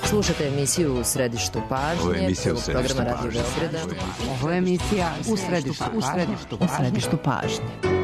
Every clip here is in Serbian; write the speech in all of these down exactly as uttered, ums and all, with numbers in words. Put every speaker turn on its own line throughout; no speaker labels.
Slušate emisiju U središtu pažnje.
Ovo je emisija U središtu
programa Radio
pažnje.
Beograda.
Ovo je emisija U središtu pažnje. U središtu pažnje.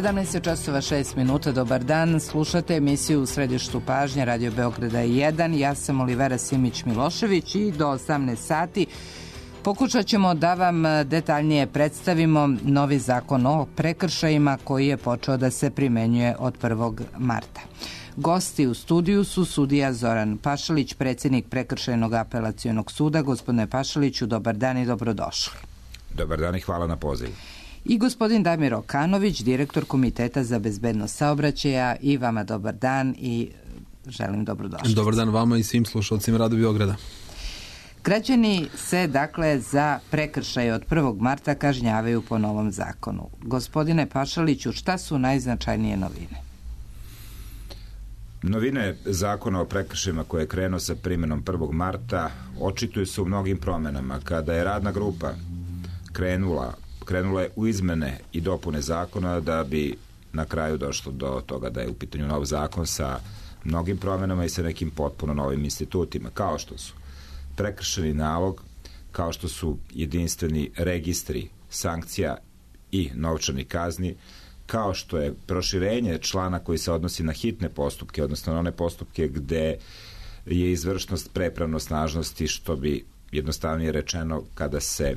sedamnaest časova šest minuta, dobar dan, slušate emisiju U središtu pažnje Radio Beograda jedan, ja sam Olivera Simić-Milošević i do osamnaest sati pokušat ćemo da vam detaljnije predstavimo novi zakon o prekršajima koji je počeo da se primenjuje od prvog marta. Gosti u studiju su sudija Zoran Pašalić, predsjednik Prekršajnog apelacionog suda. Gospodine Pašaliću, dobar dan i dobrodošli.
Dobar dan i hvala na pozivu.
I gospodin Damir Okanović, direktor Komiteta za bezbednost saobraćaja. I vama dobar dan i želim dobrodošlicu.
Dobar dan vama i svim slušalcima Radio Beograda.
Građani se, dakle, za prekršaje od prvog marta kažnjavaju po novom zakonu. Gospodine Pašaliću, šta su najznačajnije novine?
Novine zakona o prekršajima koje je krenuo sa primjenom prvog marta očituju se u mnogim promenama. Kada je radna grupa krenula krenula je u izmene i dopune zakona da bi na kraju došlo do toga da je u pitanju nov zakon sa mnogim promjenama i sa nekim potpuno novim institutima, kao što su prekršajni nalog, kao što su jedinstveni registri sankcija i novčani kazni, kao što je proširenje člana koji se odnosi na hitne postupke, odnosno na one postupke gde je izvršnost prepravnosnažnosti, što bi jednostavnije rečeno kada se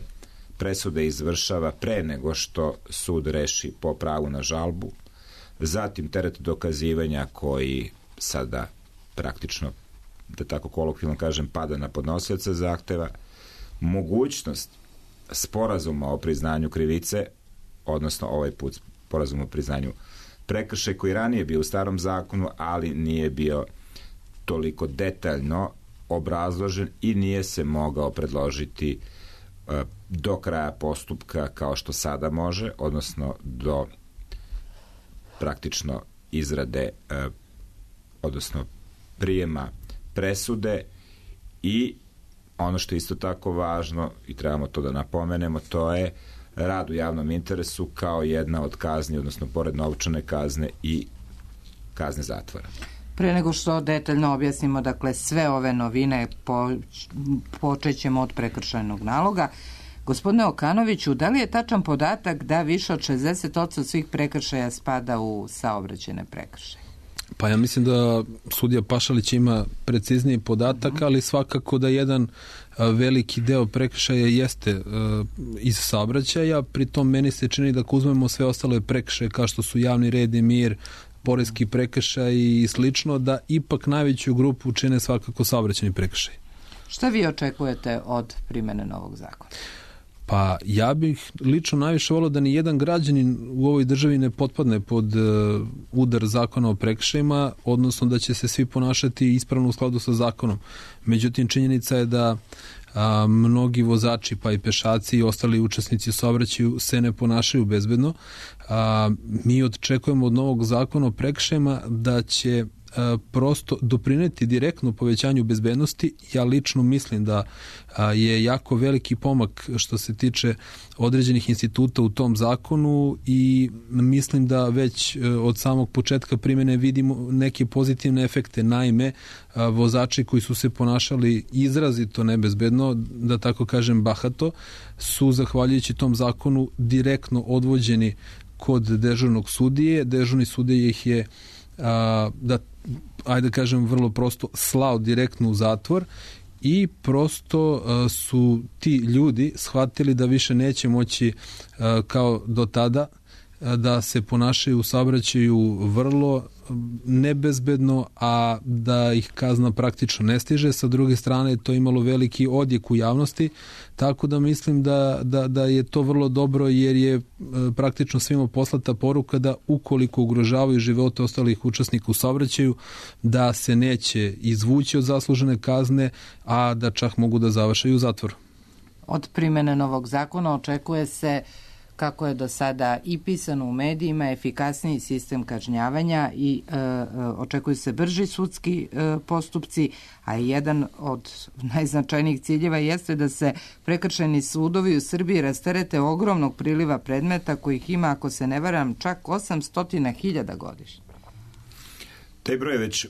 presuda izvršava pre nego što sud reši po pravu na žalbu, zatim teret dokazivanja koji sada praktično, da tako kolokvijalno kažem, pada na podnosioca zahteva, mogućnost sporazuma o priznanju krivice, odnosno ovaj put sporazum o priznanju prekršaja koji ranije bio u starom zakonu, ali nije bio toliko detaljno obrazložen i nije se mogao predložiti do kraja postupka kao što sada može, odnosno do praktično izrade, odnosno prijema presude. I ono što je isto tako važno i trebamo to da napomenemo, to je rad u javnom interesu kao jedna od kazni, odnosno pored novčane kazne i kazne zatvora.
Pre nego što detaljno objasnimo, dakle, sve ove novine, po, počet ćemo od prekršajnog naloga. Gospodine Okanoviću, da li je tačan podatak da više od šezdeset posto svih prekršaja spada u saobraćajne prekršaje?
Pa ja mislim da sudija Pašalić ima precizniji podatak, ali svakako da jedan veliki deo prekršaja jeste iz saobraćaja. Pritom meni se čini da ako uzmemo sve ostale prekršaje kao što su javni red i mir, poreski prekršaj i slično, da ipak najveću grupu čine svakako saobraćajni prekršaj.
Šta vi očekujete od primene novog zakona?
Pa ja bih lično najviše volio da ni jedan građanin u ovoj državi ne potpadne pod uh, udar zakona o prekršajima, odnosno da će se svi ponašati ispravno u skladu sa zakonom. Međutim, činjenica je da a, mnogi vozači, pa i pešaci i ostali učesnici u saobraćaju se ne ponašaju bezbedno. A, mi očekujemo od novog zakona o prekršajima da će prosto doprineti direktno povećanju bezbednosti. Ja lično mislim da je jako veliki pomak što se tiče određenih instituta u tom zakonu i mislim da već od samog početka primjene vidimo neke pozitivne efekte. Naime, vozači koji su se ponašali izrazito nebezbedno, da tako kažem bahato, su zahvaljujući tom zakonu direktno odvođeni kod dežurnog sudije. Dežurni sudija ih je a, da ajde da kažem vrlo prosto slao direktno u zatvor i prosto uh, su ti ljudi shvatili da više neće moći uh, kao do tada uh, da se ponašaju u saobraćaju vrlo nebezbedno, a da ih kazna praktično ne stiže. Sa druge strane, to je imalo veliki odjek u javnosti, tako da mislim da, da, da je to vrlo dobro, jer je praktično svima poslata poruka da ukoliko ugrožavaju živote ostalih učesnika u saobraćaju, da se neće izvući od zaslužene kazne, a da čak mogu da završaju u zatvoru.
Od primene novog zakona očekuje se, kako je do sada i pisano u medijima, efikasniji sistem kažnjavanja i e, očekuju se brži sudski e, postupci, a jedan od najznačajnijih ciljeva jeste da se prekršajni sudovi u Srbiji rasterete ogromnog priliva predmeta kojih ima, ako se ne varam, čak osamsto hiljada godišnje.
Taj broj već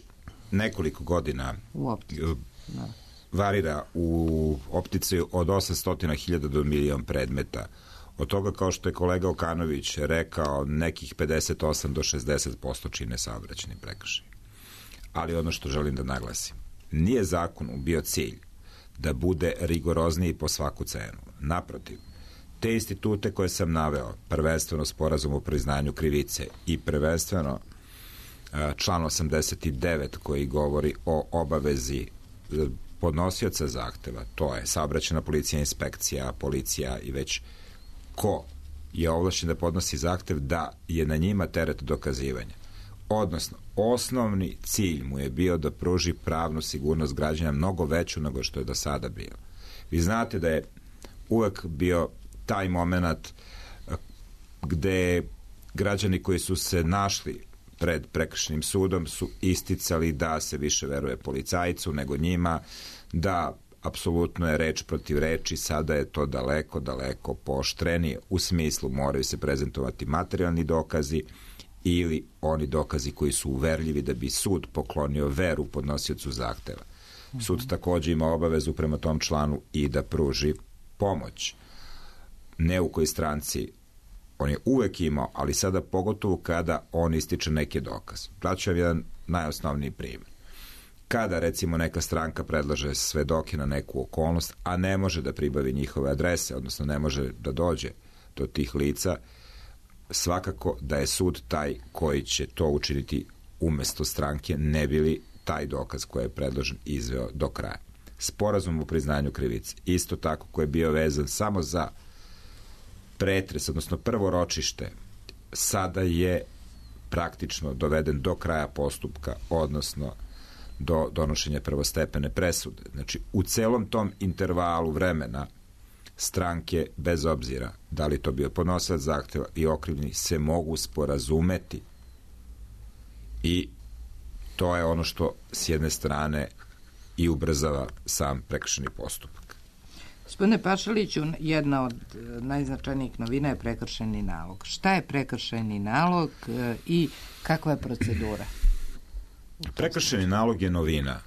nekoliko godina
u optici. Da.
Varira u optici od osamsto hiljada do milion predmeta. Od toga, kao što je kolega Okanović rekao, nekih pedeset osam do šezdeset posto čine saobraćajni prekršaj. Ali ono što želim da naglasim, nije zakonu bio cilj da bude rigorozniji po svaku cenu. Naprotiv, te institute koje sam naveo, prvenstveno sporazum o priznanju krivice i prvenstveno član osamdeset devet koji govori o obavezi podnosioca zahteva, to je saobraćajna policija, inspekcija, policija i već ko je ovlašćen da podnosi zahtev, da je na njima teret dokazivanja. Odnosno, osnovni cilj mu je bio da pruži pravnu sigurnost građana mnogo veću nego što je do sada bilo. Vi znate da je uvek bio taj moment gde građani koji su se našli pred prekršajnim sudom su isticali da se više veruje policajcu nego njima, da apsolutno je reč protiv reči, sada je to daleko, daleko pooštrenije, u smislu moraju se prezentovati materijalni dokazi ili oni dokazi koji su uverljivi da bi sud poklonio veru podnosiocu zahteva. Sud takođe ima obavezu prema tom članu i da pruži pomoć. Ne u kojoj stranci on je uvek imao, ali sada pogotovo kada on ističe neke dokaze. Daću vam jedan najosnovniji primjer. Kada, recimo, neka stranka predlaže svedoke na neku okolnost, a ne može da pribavi njihove adrese, odnosno ne može da dođe do tih lica, svakako da je sud taj koji će to učiniti umesto stranke, ne bi li taj dokaz koji je predložen izveo do kraja. Sporazum o priznanju krivice, isto tako, koji je bio vezan samo za pretres, odnosno prvo ročište, sada je praktično doveden do kraja postupka, odnosno do donošenja prvostepene presude. Znači, u celom tom intervalu vremena stranke, bez obzira da li to bio podnosilac zahteva i okrivljeni, se mogu sporazumeti i to je ono što s jedne strane i ubrzava sam prekršajni postupak.
Gospodine Pašaliću, jedna od najznačajnijih novina je prekršajni nalog. Šta je prekršajni nalog i kakva je procedura?
Prekršajni nalog je novina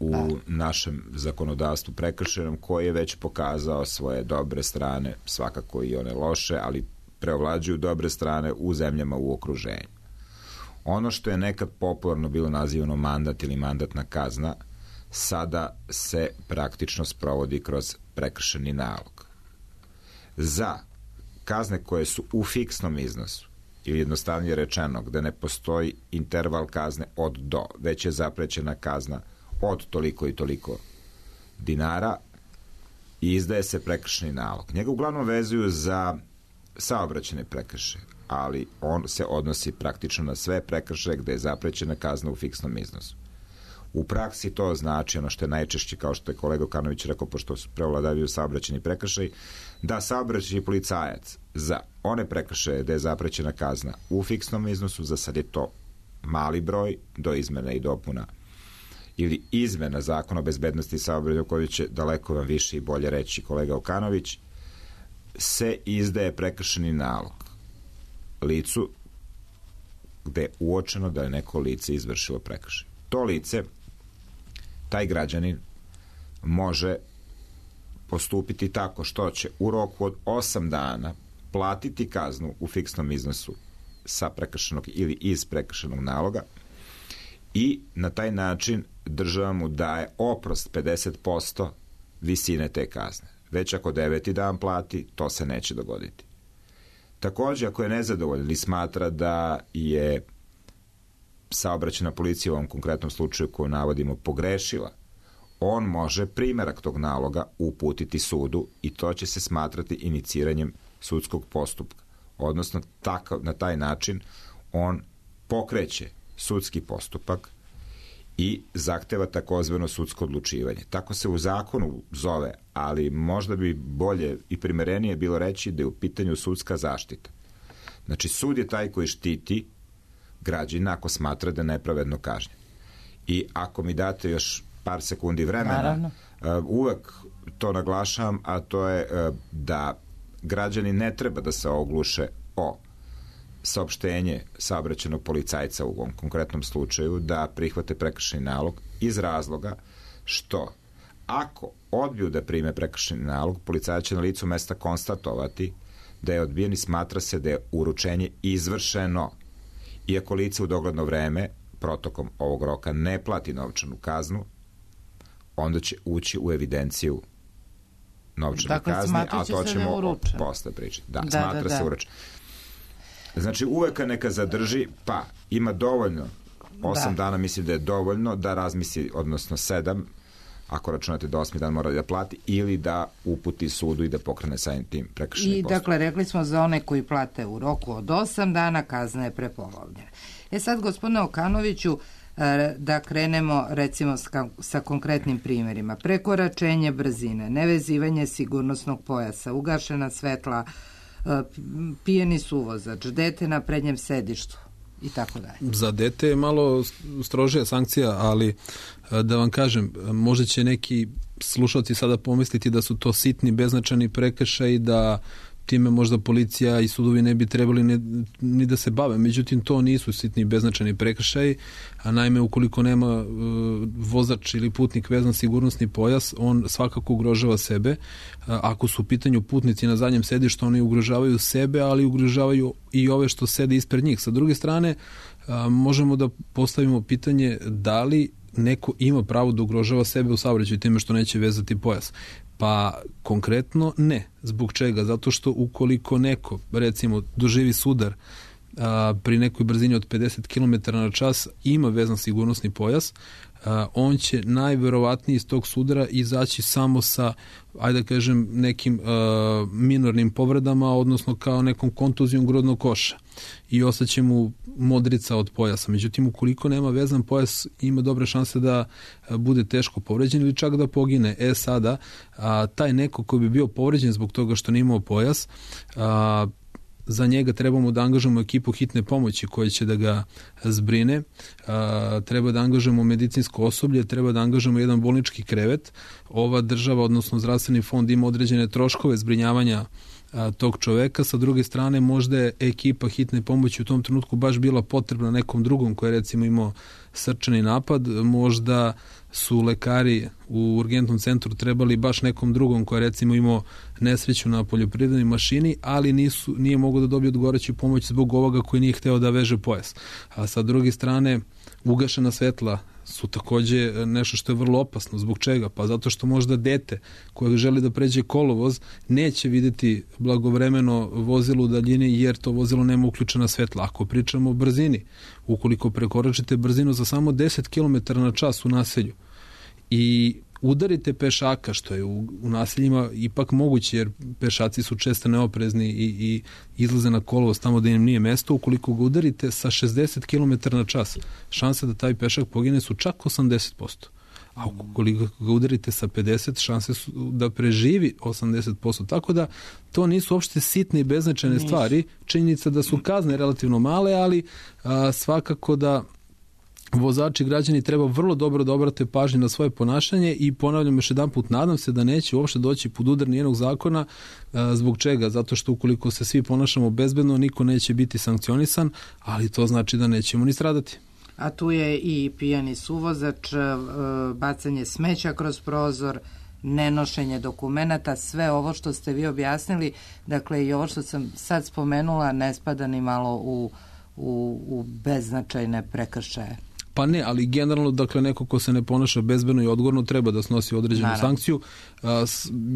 u našem zakonodavstvu prekršajnom, koji je već pokazao svoje dobre strane, svakako i one loše, ali preovlađuju dobre strane u zemljama u okruženju. Ono što je nekad popularno bilo nazivano mandat ili mandatna kazna, sada se praktično sprovodi kroz prekršajni nalog. Za kazne koje su u fiksnom iznosu ili jednostavnije rečeno, gde ne postoji interval kazne od do, već je zaprećena kazna od toliko i toliko dinara i izdaje se prekršajni nalog. Njega uglavnom vezuju za saobraćajne prekršaje, ali on se odnosi praktično na sve prekršaje gde je zaprećena kazna u fiksnom iznosu. U praksi to znači ono što je najčešće, kao što je kolega Okanović rekao, pošto su prevladavaju saobraćajni prekršaj, da saobraćajni policajac za one prekršaje gde je zaprećena kazna u fiksnom iznosu, za sad je to mali broj do izmena i dopuna ili izmena zakona o bezbednosti saobraćaja, koji će daleko vam više i bolje reći kolega Okanović, se izdaje prekršajni nalog licu gde je uočeno da je neko lice izvršilo prekršaj. To lice, taj građanin, može postupiti tako što će u roku od osam dana platiti kaznu u fiksnom iznosu sa prekršajnog ili iz prekršajnog naloga i na taj način država mu daje oprost pedeset posto visine te kazne. Već ako deveti dan plati, to se neće dogoditi. Takođe, ako je nezadovoljan i smatra da je saobraćajna policija u ovom konkretnom slučaju koju navodimo pogrešila, on može primerak tog naloga uputiti sudu i to će se smatrati iniciranjem sudskog postupka. Odnosno, takav, na taj način on pokreće sudski postupak i zahteva takozvano sudsko odlučivanje. Tako se u zakonu zove, ali možda bi bolje i primerenije bilo reći da je u pitanju sudska zaštita. Znači, sud je taj koji štiti građana ako smatra da je nepravedno kažnjen. I ako mi date još par sekundi vremena, uh, uvek to naglašavam, a to je uh, da građani ne treba da se ogluše o saopštenje saobraćajnog policajca u ovom konkretnom slučaju da prihvate prekršajni nalog iz razloga što ako odbiju da prime prekršajni nalog, policajac će na licu mesta konstatovati da je odbijen i smatra se da je uručenje izvršeno. Iako lice u dogledno vreme protokom ovog roka ne plati novčanu kaznu, onda će ući u evidenciju novčane
dakle,
kazne, a to ćemo posle pričati. Da, da, smatra da, da. se uručen. Znači, uvek neka zadrži, pa ima dovoljno, osam da. dana mislim da je dovoljno da razmisli, odnosno sedam, ako računate da osmi dan mora da plati, ili da uputi sudu i da pokrene samim tim prekršajni postupak.
I dakle, rekli smo za one koji plate u roku od osam dana, kazna je prepolovljena. E sad, gospodine Okanoviću, da krenemo recimo sa konkretnim primjerima. Prekoračenje brzine, nevezivanje sigurnosnog pojasa, ugašena svetla, pijeni suvozač, dete na prednjem sedištu i tako dalje.
Za dete je malo strožija sankcija, ali da vam kažem, možda će neki slušalci sada pomisliti da su to sitni, beznačajni prekršaji, da time možda policija i sudovi ne bi trebali ne, ni da se bave. Međutim, to nisu sitni beznačajni prekršaji, a naime, ukoliko nema uh, vozač ili putnik vezan sigurnosni pojas, on svakako ugrožava sebe. Uh, ako su u pitanju putnici na zadnjem sedištu, oni ugrožavaju sebe, ali ugrožavaju i ove što sede ispred njih. Sa druge strane, uh, možemo da postavimo pitanje da li neko ima pravo da ugrožava sebe u saobraćaju time što neće vezati pojas. Pa konkretno ne. Zbog čega? Zato što ukoliko neko, recimo, doživi sudar a, pri nekoj brzini od pedeset kilometara na čas, ima vezan sigurnosni pojas, a, on će najverovatnije iz tog sudara izaći samo sa, ajde da kažem, nekim a, minornim povredama, odnosno kao nekom kontuzijom grudnog koša i ostaće mu modrica od pojasa. Međutim, ukoliko nema vezan pojas, ima dobre šanse da bude teško povređen ili čak da pogine. E sada, a, taj neko koji bi bio povređen zbog toga što nije imao pojas, a, za njega trebamo da angažujemo ekipu hitne pomoći koja će da ga zbrine, a, treba da angažujemo medicinsko osoblje, treba da angažujemo jedan bolnički krevet. Ova država, odnosno zdravstveni fond, ima određene troškove zbrinjavanja a, tog čoveka. Sa druge strane, možda je ekipa hitne pomoći u tom trenutku baš bila potrebna nekom drugom koji je recimo imao srčani napad, možda su lekari u urgentnom centru trebali baš nekom drugom koji je recimo imao nesreću na poljoprivrednoj mašini, ali nisu, nije mogao da dobije odgovarajuću pomoć zbog ovoga koji nije hteo da veže pojas. A sa druge strane, Ugašena svetla su takođe nešto što je vrlo opasno. Zbog čega? Pa zato što možda dete koje želi da pređe kolovoz neće videti blagovremeno vozilo u daljini jer to vozilo nema uključena svetla. Ako pričamo o brzini, ukoliko prekoračite brzinu za samo deset kilometara na čas u naselju i udarite pešaka, što je u, u naseljima ipak moguće, jer pešaci su često neoprezni i, i izlaze na kolovoz tamo da im nije mesto, ukoliko ga udarite sa šezdeset kilometara na čas, šanse da taj pešak pogine su čak osamdeset posto. A ukoliko ga udarite sa pedeset, šanse su da preživi osamdeset posto. Tako da to nisu uopšte sitne i beznačajne Niš. stvari. Činjenica da su kazne relativno male, ali a, svakako da vozači, građani treba vrlo dobro da obrate pažnju na svoje ponašanje i ponavljam još jedan put, nadam se da neće uopšte doći pod udar nijednog zakona. Zbog čega? Zato što ukoliko se svi ponašamo bezbedno, niko neće biti sankcionisan, ali to znači da nećemo ni stradati.
A tu je i pijani suvozač, bacanje smeća kroz prozor, nenošenje dokumenata, sve ovo što ste vi objasnili, dakle i ovo što sam sad spomenula ne spada ni malo u, u, u beznačajne prekršaje.
Pa ne, ali generalno, dakle, neko ko se ne ponaša bezbedno i odgovorno treba da snosi određenu Naravno. sankciju.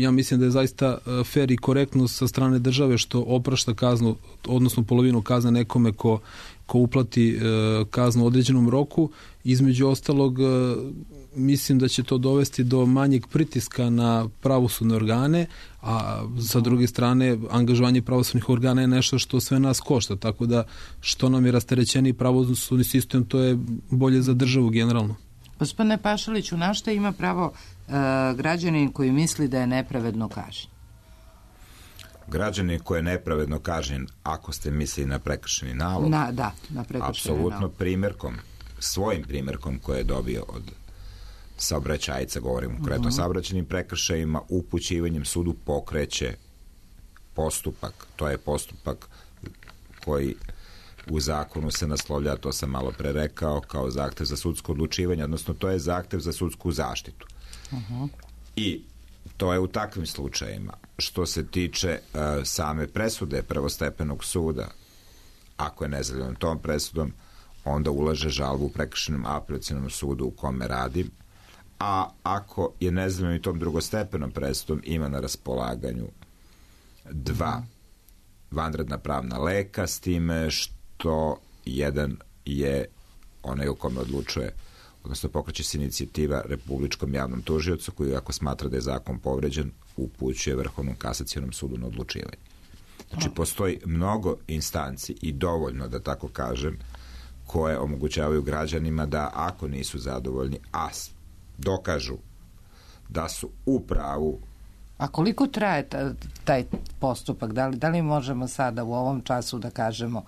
Ja mislim da je zaista fair i korektno sa strane države što oprašta kaznu, odnosno polovinu kazne nekome ko, ko uplati kaznu u određenom roku. Između ostalog, mislim da će to dovesti do manjeg pritiska na pravosudne organe, a sa druge strane angažovanje pravosudnih organa je nešto što sve nas košta, tako da što nam je rasterećeni pravosudni sistem, to je bolje za državu generalno.
Gospodine Pašaliću, na šta ima pravo e, građanin koji misli da je nepravedno kažnjen?
Građanin koji je nepravedno kažnjen, ako ste mislili na prekršeni nalog,
na, da, na prekršeni
apsolutno
nalog.
primjerkom, svojim primjerkom koje je dobio od saobraćajca, govorim konkretno o uh-huh. saobraćajnim prekršajima, upućivanjem sudu pokreće postupak. To je postupak koji u zakonu se naslovlja, to sam malo pre rekao, kao zahtev za sudsko odlučivanje, odnosno to je zahtev za sudsku zaštitu. Uh-huh. I to je u takvim slučajima. Što se tiče uh, same presude prvostepenog suda, ako je nezadovoljan tom presudom, onda ulaže žalbu u prekršajnom apelacionom sudu u kome radi, a ako je nezadovoljan i tom drugostepenom presudom, ima na raspolaganju dva vanredna pravna leka, s time što jedan je onaj u kome odlučuje, odnosno pokreće se inicijativa Republičkom javnom tužiocu, koji ako smatra da je zakon povređen, upućuje Vrhovnom kasacionom sudu na odlučivanje. Znači, postoji mnogo instanci i dovoljno, da tako kažem, koje omogućavaju građanima da ako nisu zadovoljni, a dokažu da su u pravu.
A koliko traje taj postupak? Da li, da li možemo sada u ovom času da kažemo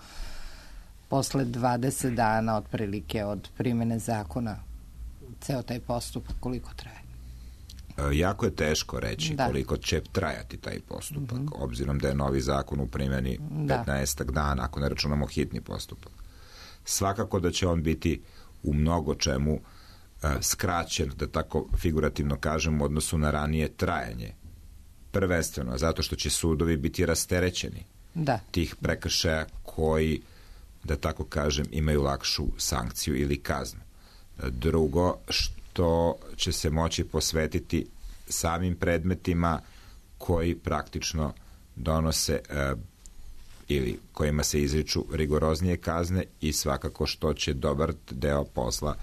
posle dvadeset dana otprilike od primjene zakona ceo taj postupak koliko traje?
E, jako je teško reći
da.
koliko će trajati taj postupak, mm-hmm. obzirom da je novi zakon u primjeni da. petnaestak dana, ako ne računamo hitni postupak. Svakako da će on biti u mnogo čemu uh, skraćen, da tako figurativno kažem, u odnosu na ranije trajanje. Prvenstveno, zato što će sudovi biti rasterećeni
da.
tih prekršaja koji, da tako kažem, imaju lakšu sankciju ili kaznu. Drugo, što će se moći posvetiti samim predmetima koji praktično donose uh, ili kojima se izriču rigoroznije kazne i svakako što će dobar deo posla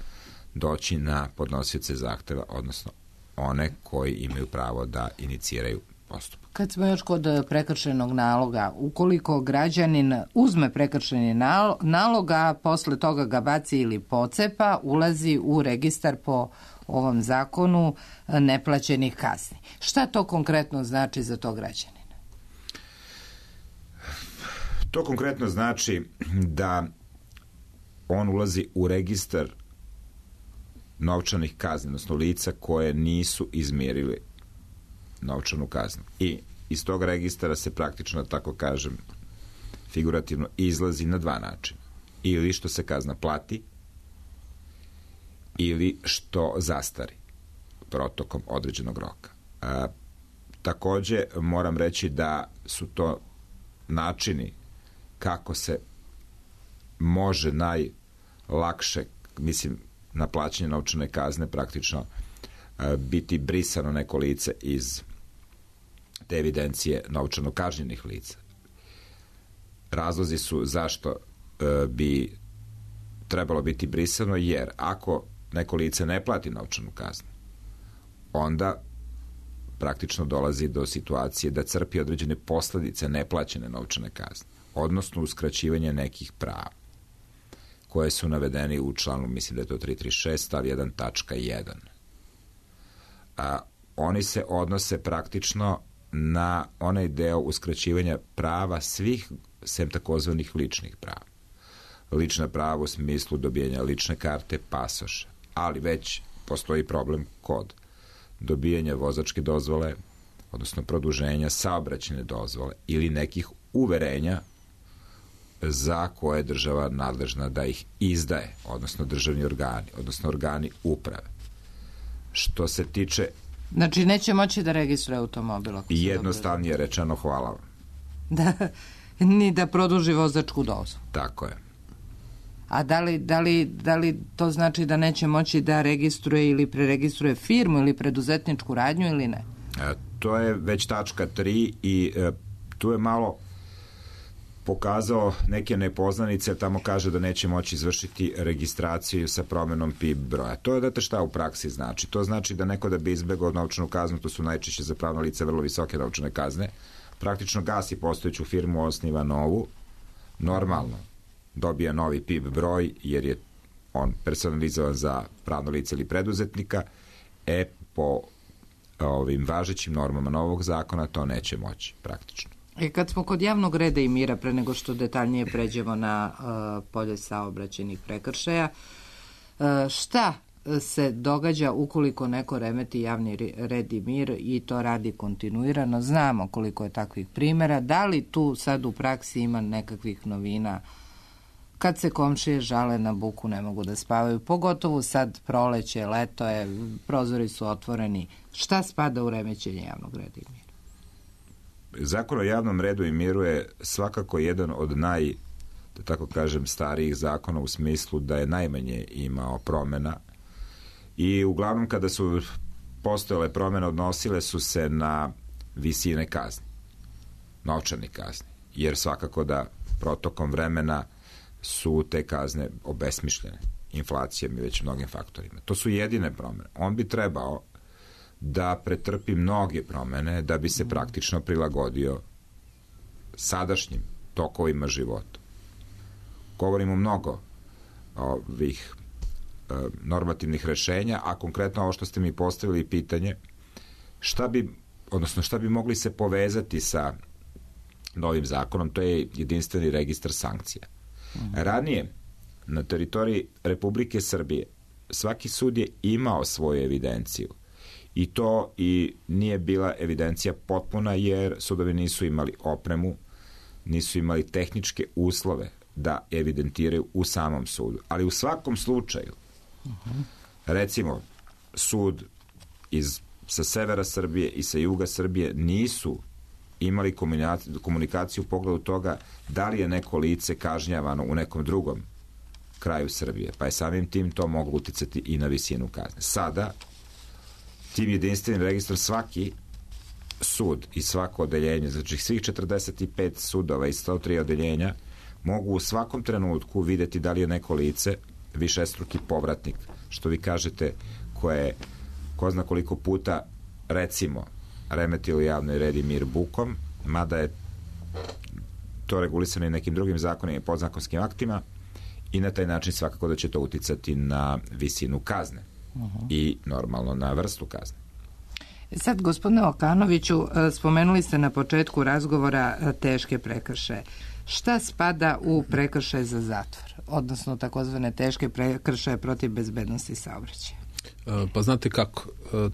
doći na podnosioce zahteva, odnosno one koji imaju pravo da iniciraju postupak.
Kad smo još kod prekršajnog naloga, ukoliko građanin uzme prekršajni nalog, a posle toga ga baci ili pocepa, ulazi u registar po ovom zakonu neplaćenih kazni. Šta to konkretno znači za to građanina?
To konkretno znači da on ulazi u registar novčanih kazni, odnosno lica koje nisu izmirili novčanu kaznu. I iz tog registara se praktično, tako kažem, figurativno izlazi na dva načina. Ili što se kazna plati, ili što zastari protokom određenog roka. A, takođe, moram reći da su to načini kako se može najlakše mislim, na plaćanje novčane kazne praktično biti brisano neko lice iz te evidencije novčano kažnjenih lica. Razlozi su zašto bi trebalo biti brisano, jer ako neko lice ne plati novčanu kaznu, onda praktično dolazi do situacije da crpi određene posledice neplaćene novčane kazne, odnosno uskraćivanje nekih prava koje su navedeni u članu, mislim da je to tristo trideset šest stav jedan tačka jedan. A oni se odnose praktično na onaj deo uskraćivanja prava svih, sem takozvanih ličnih prava. Lična prava u smislu dobijanja lične karte, pasoša, ali već postoji problem kod dobijanja vozačke dozvole, odnosno produženja saobraćajne dozvole ili nekih uverenja za koje je država nadležna da ih izdaje, odnosno državni organi, odnosno organi uprave. Što se tiče...
Znači, neće moći da registruje automobil.
Jednostavnije rečeno, hvala vam.
Da, ni da produži vozačku dozvolu.
Tako je.
A da li, da, li, da li to znači da neće moći da registruje ili preregistruje firmu ili preduzetničku radnju ili ne?
E, to je već tačka tri i e, tu je malo pokazao neke nepoznanice, tamo kaže da neće moći izvršiti registraciju sa promenom P I B broja. To je, znate šta u praksi znači? To znači da neko da bi izbegao novčanu kaznu, to su najčešće za pravno lice vrlo visoke novčane kazne, praktično gasi postojeću firmu, osniva novu, normalno dobija novi P I B broj, jer je on personalizovan za pravno lice ili preduzetnika, e po ovim važećim normama novog zakona to neće moći praktično.
E kad smo kod javnog reda i mira, pre nego što detaljnije pređemo na uh, polje saobraćajnih prekršaja, uh, šta se događa ukoliko neko remeti javni red i mir i to radi kontinuirano? Znamo koliko je takvih primjera. Da li tu sad u praksi ima nekakvih novina? Kad se komšije žale na buku, ne mogu da spavaju, pogotovo sad proleće, leto je, prozori su otvoreni. Šta spada u remećenje javnog reda i mira?
Zakon o javnom redu i miru je svakako jedan od naj, da tako kažem, starijih zakona u smislu da je najmanje imao promjena i uglavnom kada su postojale promjene odnosile su se na visine kazni, novčane kazne, jer svakako da protokom vremena su te kazne obesmišljene inflacijom i već mnogim faktorima. To su jedine promjene. On bi trebao da pretrpi mnoge promjene da bi se praktično prilagodio sadašnjim tokovima života. Govorimo mnogo ovih e, normativnih rešenja, a konkretno ovo što ste mi postavili pitanje, šta bi, odnosno šta bi mogli se povezati sa novim zakonom, to je jedinstveni registar sankcija. Ranije, na teritoriji Republike Srbije, svaki sud je imao svoju evidenciju i to i nije bila evidencija potpuna jer sudovi nisu imali opremu, nisu imali tehničke uslove da evidentiraju u samom sudu. Ali u svakom slučaju, recimo, sud iz, sa severa Srbije i sa juga Srbije nisu imali komunikaciju u pogledu toga da li je neko lice kažnjavano u nekom drugom kraju Srbije, pa je samim tim to moglo uticati i na visinu kazne. Sada, tim jedinstvenim registrom svaki sud i svako odeljenje, znači svih četrdeset pet sudova i sto tri odeljenja, mogu u svakom trenutku videti da li je neko lice višestruki povratnik, što vi kažete, koje ko zna koliko puta, recimo, remetilo javni red i mir bukom, mada je to regulisano i nekim drugim zakonima i podzakonskim aktima, i na taj način svakako da će to uticati na visinu kazne uh-huh. i normalno na vrstu kazne.
Sad, gospodine Okanoviću, spomenuli ste na početku razgovora teške prekršaje. Šta spada u prekršaj za zatvor, odnosno takozvane teške prekršaje protiv bezbednosti saobraćaja?
Pa znate kako,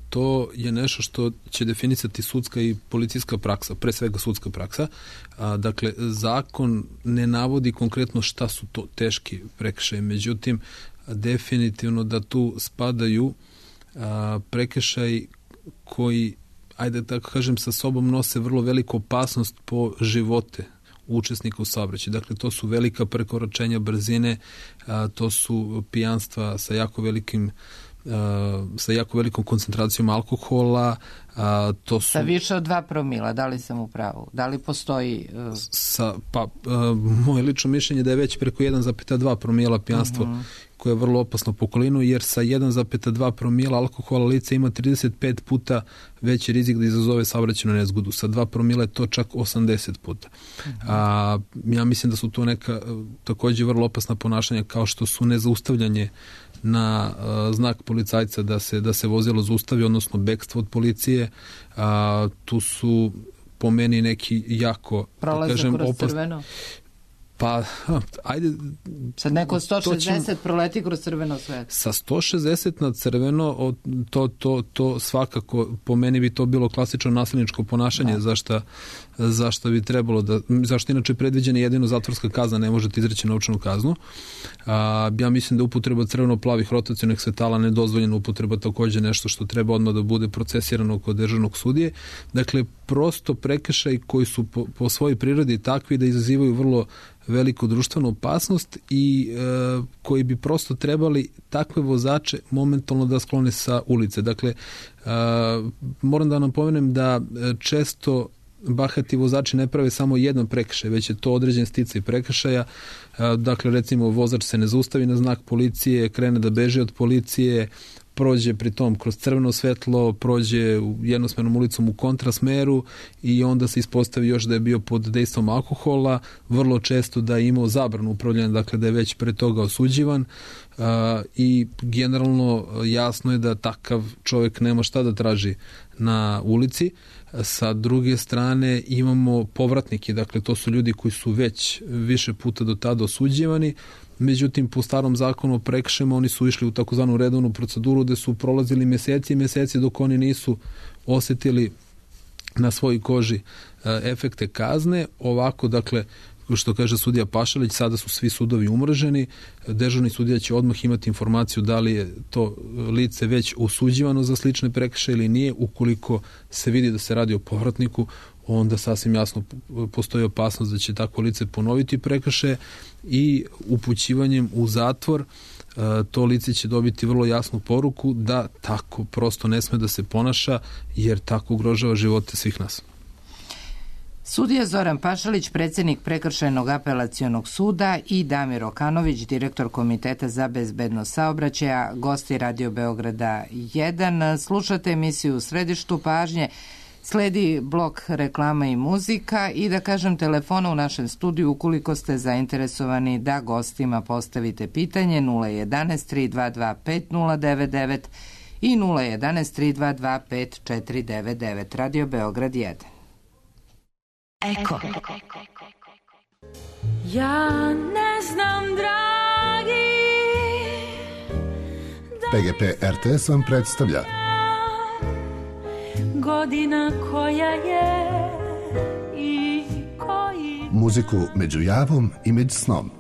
to je nešto što će definisati sudska i policijska praksa, pre svega sudska praksa. Dakle, zakon ne navodi konkretno šta su to teški prekršaji, međutim, definitivno da tu spadaju prekršaji koji, ajde tako kažem, sa sobom nose vrlo veliku opasnost po živote učesnika u saobraćaju. Dakle, to su velika prekoračenja brzine, a, to su pijanstva sa jako velikim sa jako velikom koncentracijom alkohola. A, to su...
Sa više od dva promila, da li sam u pravu? Da li postoji... Uh...
Sa, pa, a, moje lično mišljenje da je već preko jedan zarez dva promila pijanstvo, uh-huh. koje je vrlo opasno po okolinu, jer sa jedan zarez dva promila alkohola lice ima trideset pet puta veći rizik da izazove saobraćajnu nezgodu. Sa dva promila je to čak osamdeset puta. Uh-huh. A, ja mislim da su to neka takođe vrlo opasna ponašanja, kao što su nezaustavljanje na uh, znak policajca da se, da se vozilo zaustavi, odnosno bekstvo od policije. A, tu su po meni neki jako,
prolazak
kažem,
kroz
opasni.
Crveno?
Pa, ajde...
Sad neko sto šezdeset
ćemo,
proleti kroz crveno svetlo.
Sa sto šezdeset na crveno, to, to, to svakako, po meni bi to bilo klasično nasilničko ponašanje, da. zašto, zašto bi trebalo da... Zašto inače predviđena jedino zatvorska kazna, ne možete izreći novčanu kaznu. A, ja mislim da upotreba crveno-plavih rotacionih svetala nedozvoljena upotreba, takođe nešto što treba odmah da bude procesirano kod državnog sudije. Dakle, prosto prekršaj koji su po, po svojoj prirodi takvi da izazivaju vrlo veliku društvenu opasnost i e, koji bi prosto trebali takve vozače momentalno da sklone sa ulice. Dakle, e, moram da napomenem da često bahati vozači ne prave samo jedan prekršaj, već je to određen sticaj prekršaja. E, dakle, recimo, vozač se ne zaustavi na znak policije, krene da beže od policije, prođe pritom kroz crveno svetlo, prođe jednosmernom ulicom u kontrasmeru i onda se ispostavi još da je bio pod dejstvom alkohola, vrlo često da je imao zabranu upravljanja, dakle da je već pre toga osuđivan uh, i generalno jasno je da takav čovjek nema šta da traži na ulici. Sa druge strane imamo povratnike, dakle to su ljudi koji su već više puta do tada osuđivani. Međutim, po starom zakonu o prekršajima oni su išli u takozvanu redovnu proceduru gde su prolazili meseci i meseci dok oni nisu osetili na svojoj koži efekte kazne. Ovako, dakle, što kaže sudija Pašalić, sada su svi sudovi umrženi, dežurni sudija će odmah imati informaciju da li je to lice već osuđivano za slične prekršaje ili nije. Ukoliko se vidi da se radi o povratniku, onda sasvim jasno postoji opasnost da će takvo lice ponoviti prekršaje i upućivanjem u zatvor to lice će dobiti vrlo jasnu poruku da tako prosto ne sme da se ponaša, jer tako ugrožava živote svih nas.
Sudija Zoran Pašalić, predsjednik Prekršajnog apelacionog suda, i Damir Okanović, direktor Komiteta za bezbednost saobraćaja, gosti Radio Beograda jedan. Slušate emisiju U središtu pažnje. Sledi blok reklama i muzika i da kažem telefona u našem studiju ukoliko ste zainteresovani da gostima postavite pitanje nula jedan tri dva dva pet nula devet devet i nula jedan tri dva dva pet četiri devet devet. Radio Beograd jedan.
Eko.
Ja ne znam, dragi,
P G P R T S vam predstavlja
godina koja je i koji
muziku među javom i među snom.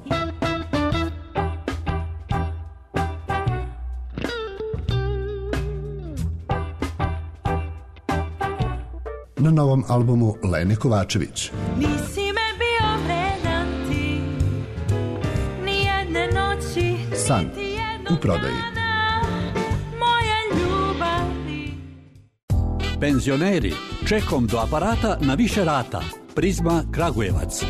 Na novom albumu Lene Kovačević.
Nisi me bio vredan ti, ni jedne noći,
San u prodaji.
moje ljubavi.
Penzioneri, čekom do aparata na više rata. Prizma Kragujevac.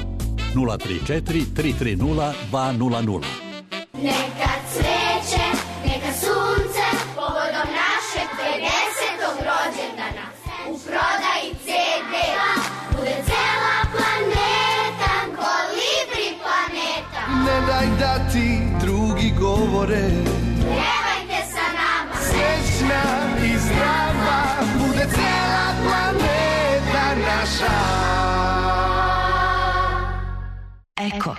nula tri četiri tri tri nula dva nula nula.
Neka cveće, neka sunce, povodom našeg pedesetog rođendana. U prodaji ce de, bude cela planeta, kolibri planeta.
Ne daj da ti drugi govore,
Pevajte sa nama,
srećna i zdrava, bude cela planeta naša.
Eko.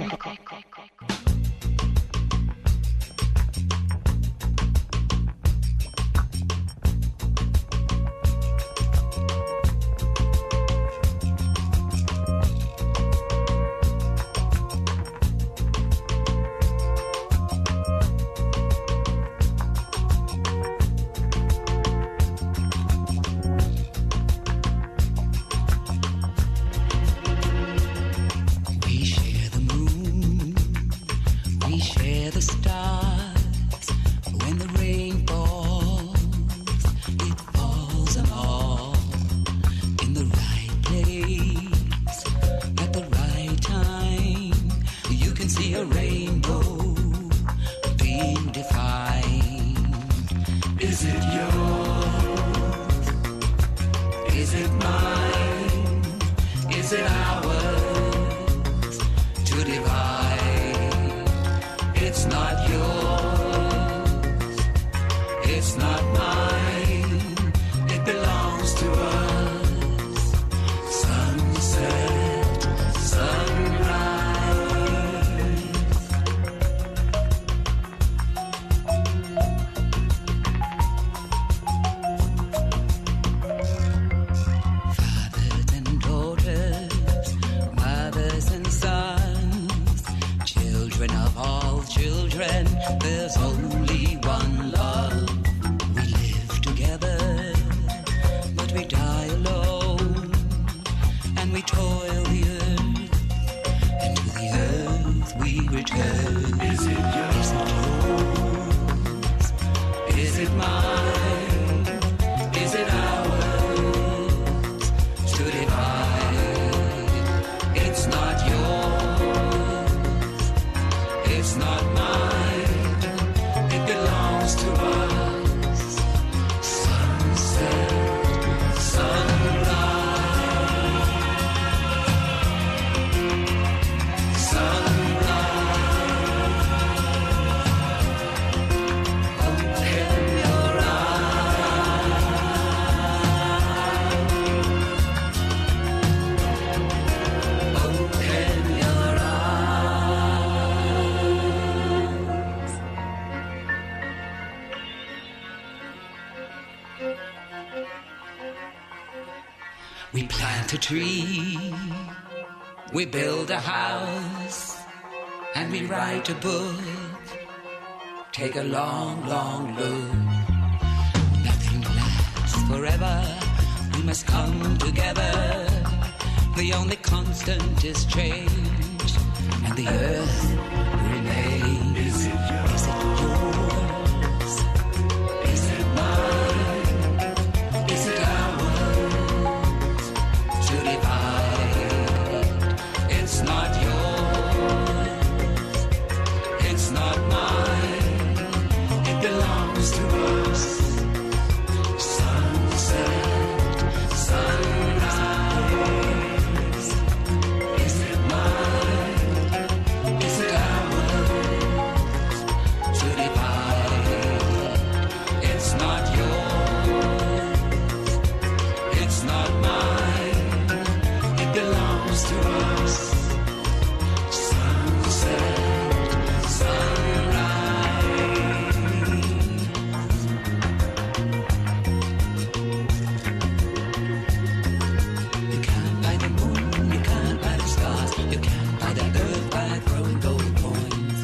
We share the stars. When the rain falls, it falls them all in the right place at the right time. You can see a rainbow being defined. Is it yours? Is it mine? Is it ours to divide? It's not yours, it's not mine, it belongs to us. Sunset, sunrise. Fathers and daughters, mothers and sons, children of all children, there's only one love. We live together, but we die alone, and we toil the earth, and to the earth we return. Is it yours? Is it mine? Is it ours to divide? It's not yours, it's not mine, it belongs to us. Sunset, sunrise, sunrise. Open your eyes, open your eyes. We plant a tree, we build a house, and we write a book. Take a long, long look. Nothing lasts forever. We must come together. The only constant is change, and the earth remains. Is it yours? Is it yours? Is it mine? Is it ours to divide? It's not yours, it's not mine, it belongs to us. Sunset, sunrise. Is it mine? Is it ours to divide? It's not yours, it's not mine, it belongs to us. Sunset, sunrise. You can't buy the moon, you can't buy the stars, you can't buy the earth by throwing gold coins.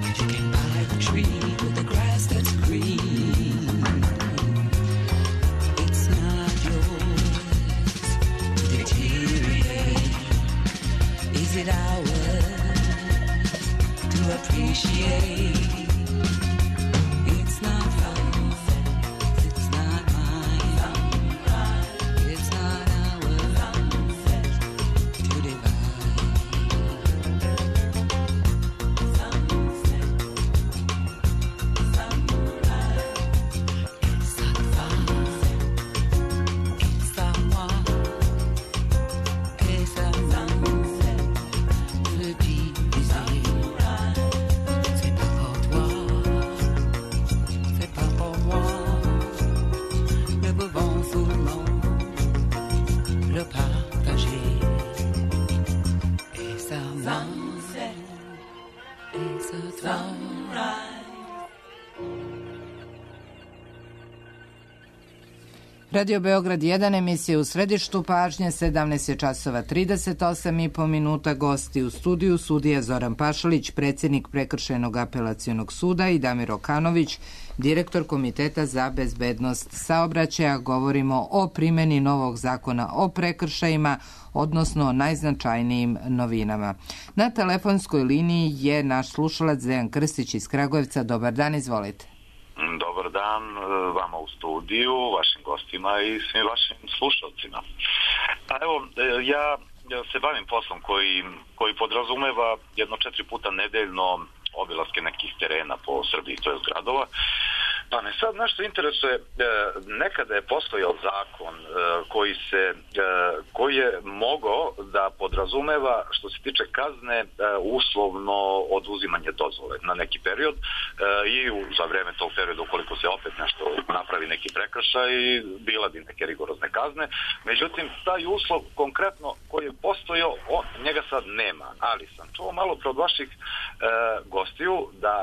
But you can buy the tree with the grass that's green. It's not yours to deteriorate. Is it ours to appreciate? It's not yours, it's not mine, it's not ours to divide. It's not fun, it's à moi, et ça nous le diviser. C'est pas pour toi.
Radio Beograd jedan, emisija u središtu pažnje, sedamnaest je časova trideset osam i po minuta, gosti u studiju, sudija Zoran Pašalić, predsjednik Prekršajnog apelacionog suda, i Damir Okanović, direktor Komiteta za bezbednost saobraćaja. Govorimo o primjeni novog zakona o prekršajima, odnosno najznačajnijim novinama. Na telefonskoj liniji je naš slušalac Dejan Krstić iz Kragujevca. Dobar dan, izvolite.
Dobar dan vama u studiju, vašim gostima i svim vašim slušalcima. Pa evo, ja se bavim poslom koji, koji podrazumeva jedno četiri puta nedeljno obilaske nekih terena po Srbiji, to je gradova. Pa me sad nešto interesuje, nekada je postojao zakon koji se, koji je mogao da podrazumeva, što se tiče kazne, uslovno oduzimanje dozvole na neki period i za vreme tog perioda, ukoliko se opet nešto napravi neki prekršaj, bila bi neke rigorozne kazne. Međutim, taj uslov konkretno koji je postojao, on, njega sad nema, ali sam čuo malo pre od vaših gostiju da